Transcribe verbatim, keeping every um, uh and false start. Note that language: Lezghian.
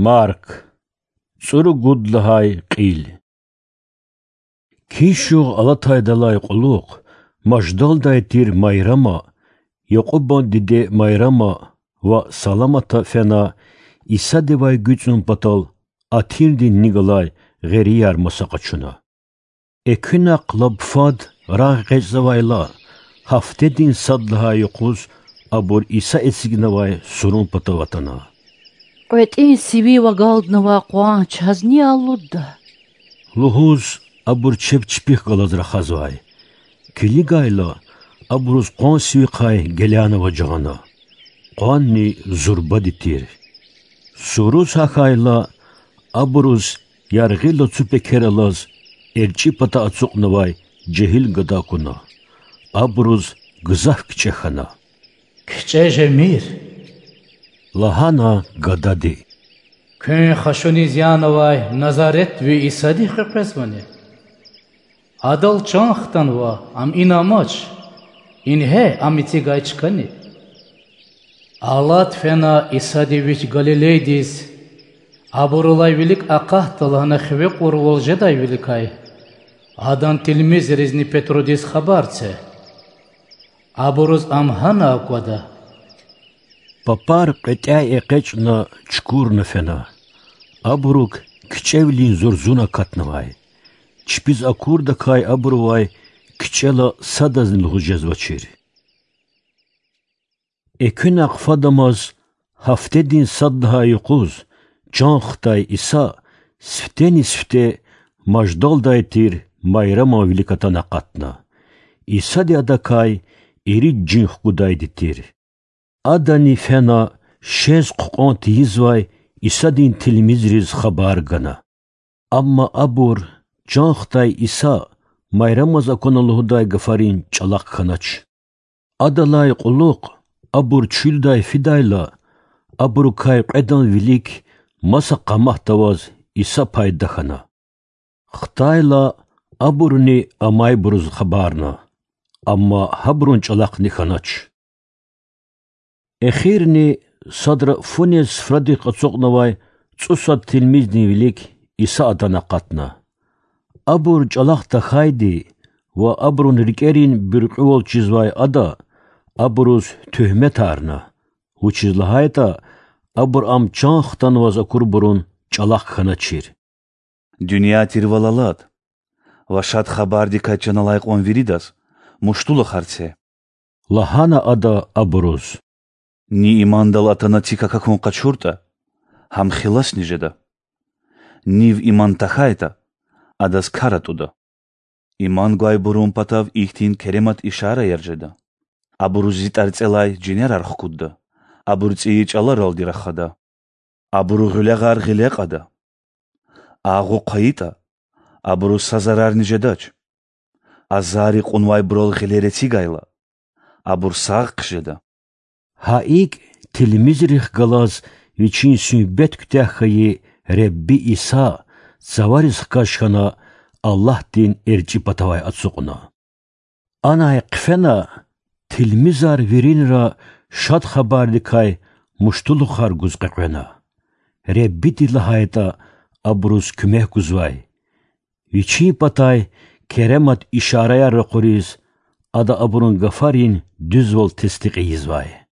Марк, цӀуругуд лагьай кьил. Кин шугъ алатайдалай кьулухъ Маждалдай тир Майрама, Якьубан диде Майрама ва Саламата фена Исадивай гуьцӀун патал атирдин ни галай гъерияр маса къачуна. Экуьнахъ лап фад рагъ экъечӀзавайла, гьафтедин сад лагьай юкъуз абур Иса эцигнавай сурун патав атана. КъветӀин сивив агалднавай къван чаз ни алудда? лугьуз, абур чеб чпихъ галаз рахазвай. Килигайла, абуруз къван сивихъай гелянаваз жагъана. Къванни зурбади тир. Суруз гьахьайла, абуруз яргъи лацу пекер алаз, эрчӀи пата ацукьнавай жегьил гада акуна. Абуруз гзаф кичӀе хьана. КичӀе жемир,— лагьана гадади,— куьн хашуниз янавай Назаретви Исадихъ къекъвезвани? Адал чан хтанва, ам ина амач, ингье, ам эцигай чкани. Алад фена Исади вич Галилейдиз, абурулай вилик акъатда лагьана хиве кьурвал жедайвиликай, адан тилмизризни Петрудиз хабар це. Абуруз ам гьана аквада. Папар кьветӀяй экъечӀна чукурна фена. Абурук кичӀевилин зурзун акатнавай. Чпиз акурдакай абурувай кичӀела садазни лугьуз жезвачир. Экуьнахъ фадамаз, гьафтедин сад лагьай юкъуз чан хтай Иса сифтени-сифте Маждалдай тир Майраман вилик атана акъатна. Исади адакай ирид жин хкудайди тир. Адани фена шез хъукьван тийизвай Исадин тилмизриз хабар гана. Амма абур чан хтай Иса Майрамаз акуна лугьудай гафарин чӀалахъ хьанач. Адалай кьулухъ абур чуьлдай фидайла, абурукай кьведан вилик маса къаматда аваз Иса пайда хьана. Хтайла, абуруни амайбуруз хабарна, амма гьабурун чӀалахъни хьанач. Эхирни садра фу нез суфрадихъ ацукьнавай цӀусад тилмиздин вилик Иса атана акъатна. Абур чӀалахъ тахьайди ва абурун рикӀерин буьркьуьвал чизвай Ада абуруз туьгьметарна, вучиз лагьайтӀа абур Ам чан хтанваз акурбурун чӀалахъ хьаначир. Дуьнья тирвал алад ва Шад Хабардикай чан алай кьван виридаз муштулухар це,— лагьана Ада абуруз. Ни имандал атана цик акахьун къачуртӀа, гьам хиласни жеда. Нив иман тахьайтӀа, адаз кар атӀуда. Иман гвайбурун патав ихьтин керемат ишараяр жеда: абуруз зи тӀварцӀелай жинерар хкудда, абур цӀийи чӀаларалди рахада, абуру гъуьлягъар гъиле кьада. Агъу хъвайитӀа, абуруз са зарарни жедач. Азари кьунвайбурал гъилер эцигайла, абур сагъ хъжеда. Гьа икӀ, тилмизрихъ галаз Вичин суьгьбет куьтягь хьайи Худа Иса цавариз хкаж хьана, Аллагьдин эрчӀи патавай ацукьна. Анай хъфена, тилмизар виринра Шад Хабардикай муштулухар гуз къекъвена. Худади лагьайтӀа, абуруз куьмек гузвай. Вичин патай керемат ишараяр ракъуриз, Ада абурун гафарин дуьзвал тестикь ийизвай.